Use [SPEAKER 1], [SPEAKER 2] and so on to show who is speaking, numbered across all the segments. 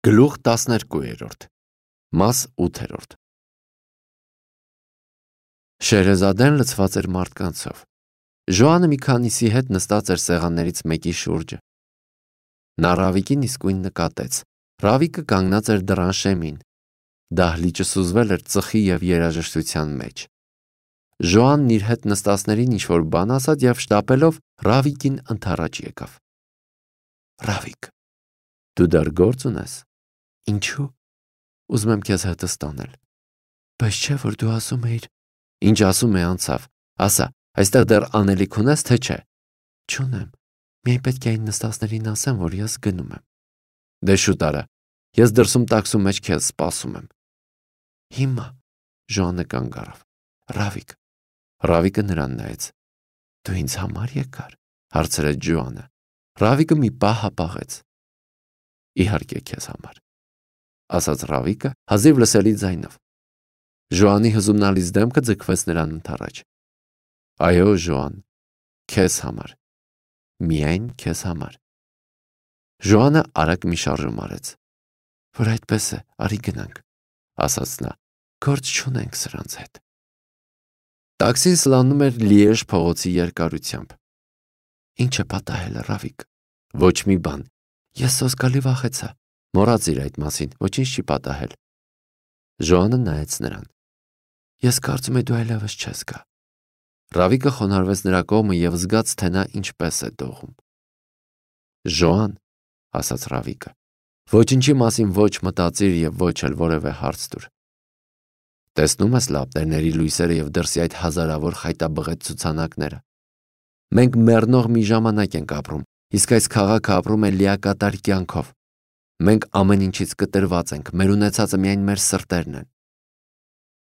[SPEAKER 1] Գլուխ 12 Մաս 8 Շեհրեզադեն լցված էր մարդկանցով։ Ժոանը մի քանիսի հետ նստած էր սեղաններից մեկի շուրջը։ Նա Ռավիկին իսկույն նկատեց։ Ռավիկը կանգնած էր դռան շեմին։ Դահլիճը սուզվել էր ծխի և երաժշտության մեջ։ Ժոանն իր հետ նստածներին ինչ-որ բան ասաց և շտապելով Ռավիկին ընդառաջ եկավ։ Ռավիկ, դու դեռ գործ ունես։ Ինչու՞։ Ուզում եմ քեզ հետս տանել։ Բայց չէ, որ դու ասում էիր։ Ինչ ասում է անցավ։ Ասա, այստեղ դեռ անելիք ունես, թե չէ։ Չունեմ։ Միայն պետք է այն նստածներին ասեմ, որ ես գնում եմ։ Դե շուտ արա։ Ես դրսում տաքսու մեջ քեզ սպասում եմ։ Հիմա Ժոանը կանգ առավ։ Ռավիկ։ Ռավիկը նրան նայեց։ Դու ինձ համար եկար, հարցրեց Ժոանը։ Ռավիկը մի պահ հապաղեց։ Իհարկե քեզ համար, ասաց Ռավիկը հազիվ լսելի ձայնով։ Ժոանի հզումնալից դեմքը ձգվեց նրան ընդառաջ։ Այո, Ժոան, քեզ համար, միայն քեզ համար։ Ժոանը արագ մի շարժում արեց։ Որ այդպես է, արի գնանք, ասաց նա, գործ չունենք սրանց հետ։ Տաքսին սլանում էր Լիեժ փողոցի երկարությամբ։ Ինչ է պատահել, Ռավիկ։ Ոչ մի բան։ Ես սոսկալի վախեցա։ Մոռացիր այդ մասին, ոչինչ չի պատահել։ Ժոանը նայեց նրան։ Ես կարծում եմ դու այլևս չես գա։ Ռավիկը խոնարհվեց նրա կողմը և զգաց, թե նա ինչպես է դողում։ Ժոան, ասաց Ռավիկը, ոչինչի մասին ոչ մտածիր և ոչ էլ որևէ հարց տուր։ Տեսնում ես լապտերների լույսերը և դրսի այդ հազարավոր խայտաբղետ ցուցանակները։ Մենք մեռնող մի ժամանակ ենք ապրում, իսկ այս քաղաքը ապրում է լիակատար կյանքով։ Մենք ամեն ինչից կտրված ենք, մեր ունեցածը միայն մեր սրտերն են։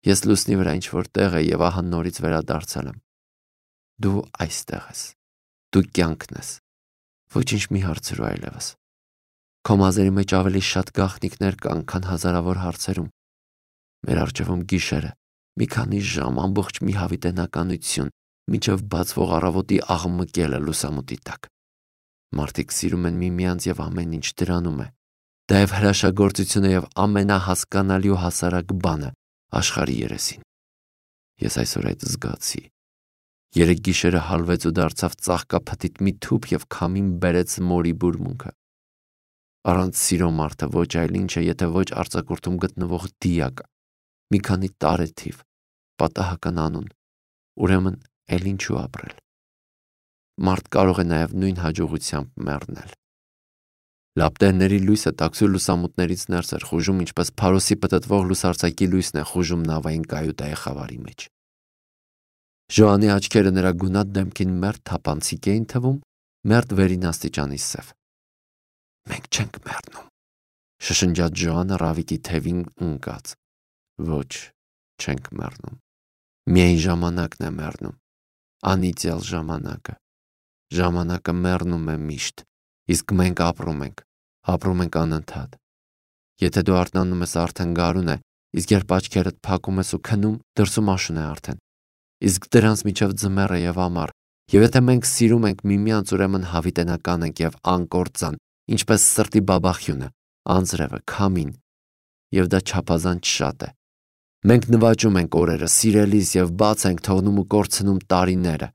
[SPEAKER 1] Ես լուսնի վրա ինչ-որ տեղ եմ և ահա նորից վերադարձել եմ։ Դու այստեղ ես։ Դու կյանքն ես։ Ոչինչ մի հարցրու այլևս։ Քո մազերի մեջ ավելի շատ գաղտնիքներ կան, քան հազարավոր հարցերում։ Մեր առջևում գիշերը, մի քանի ժամ, ամբողջ մի հավիտենականություն, մինչև բացվող առավոտի աղմկելը լուսամուտի տակ։ Մարդիկ սիրում են միմյանց և ամեն ինչ դրանում է։ Դա և հրաշագործությունը և ամենահասկանալի ու հասարակ բանը աշխարհի երեսին։ Ես այսօր այդ զգացի։ Երեկ գիշերը հալվեց ու դարձավ ծաղկափթիթ մի թուփ և քամին բերեց մորի բուրմունքը։ Առանց սիրո մարդը ոչ այլ ինչ է, եթե ոչ արձակուրդում գտնվող դիակ, մի քանի տարեթիվ, պատահական անուն, ուրեմն էլ ինչու ապրել։ Մարդ կարող է նաև նույն հաջողությամբ մեռնել։ Լապտերների լույսը տաքսու լուսամուտներից ներս էր խուժում, ինչպես փարոսի պտտվող լուսարձակի լույսն է խուժում նավային կայուտայի խավարի մեջ։ Ժոանի աչքերը նրա գունատ դեմքին մերթ թափանցիկ էին թվում, մերթ վերին աստիճանի սև։ Մենք չենք մեռնում, շշնջաց Ժոանը Ռավիկի թևին ընկած։ Ոչ, չենք մեռնում։ Միայն ժամանակն է մեռնում։ Անիծյալ ժամանակը։ Ժամանակը մեռնում է միշտ, իսկ մենք ապրում ենք անընդհատ։ Եթե դու արթնանում ես, արդեն գարուն է, իսկ երբ աչքերդ փակում ես ու քնում, դրսում աշուն է արդեն։ Իսկ դրանց միջև ձմեռ է և ամառ, և եթե մենք սիրում ենք միմյանց, ուրեմն հավիտենական ենք և անկործան, ինչպես սրտի բաբախյունը, անձրևը, քամին, և դա չափազանց շատ է։ Մենք նվաճում ենք օրերը, սիրելիս և բաց ենք թողնում ու կորցնում տարիները։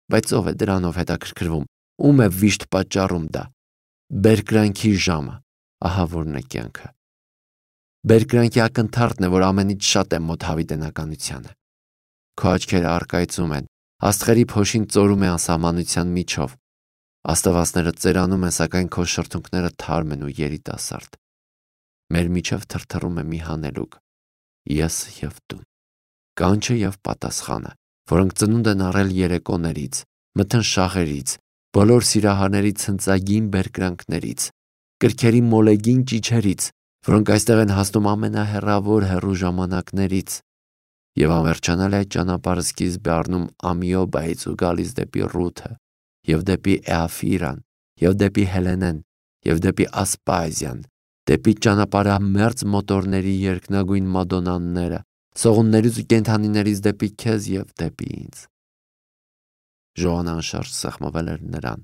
[SPEAKER 1] Բայց ով է դրանով հետաքրքրվում, ում է վիշտ պատճառում դա։ Բերկրանքի ժամը, ահա որն է կյանքը։ Բերկրանքի ակնթարթն է, որ ամենից շատ է մոտ հավիտենականությանը։ Քո աչքերը առկայծում են, աստղերի փոշին ծորում է անսահմանության միջով։ Աստվածները ծերանում են, սակայն քո շրթունքները թարմ են ու երիտասարդ։ Մեր միջև թրթռում է մի հանելուկ՝ ես և դու։ Կանչը և պատասխանը, որոնք ծնունդ են առել երեկոներից, մթնշաղերից, բոլոր սիրահարների ցնծագին բերկրանքներից, կրքերի մոլեգին ճիչերից, որոնք այստեղ են հասնում ամենահեռավոր հեռու ժամանակներից, և անվերջանալի այդ ճանապարհը սկիզբ է առնում Ամիոբայից ու գալիս դեպի Ռութը, և դեպի Էաֆիրան, և դեպի Հելենեն, և դեպի Ասպազիան, դեպի ճանապարհամերձ մոտորների երկնագույն մադոննաները, սողուններից ու կենդանիներից դեպի քեզ և դեպի ինձ։ Ժոանը անշարժ սեղմվել էր նրան,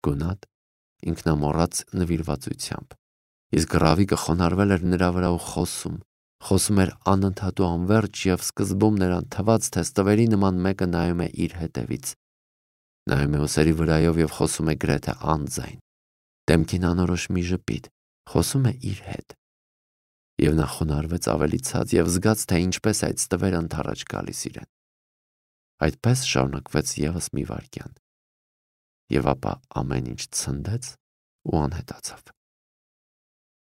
[SPEAKER 1] գունատ, ինքնամոռաց նվիրվածությամբ։ Իսկ Ռավիկը խոնարհվել էր նրա վրա ու խոսում էր անընդհատ ու անվերջ, եւ սկզբում նրան թվաց, թե ստվերի նման մեկը նայում է իր հետևից, նայում է ուսերի վրայով եւ խոսում է գրեթե անձայն, դեմքին անորոշ մի ժպիտ, խոսում է իր հետ։ Եվ նա խոնարհվեց ավելի ցած եւ զգաց, թե ինչպես այդ ստվերը ընդառաջ գալիս իրեն։ Այդպես շարունակվեց եւս մի վայրկյան, եւ ապա ամեն ինչ ցնդեց ու անհետացավ։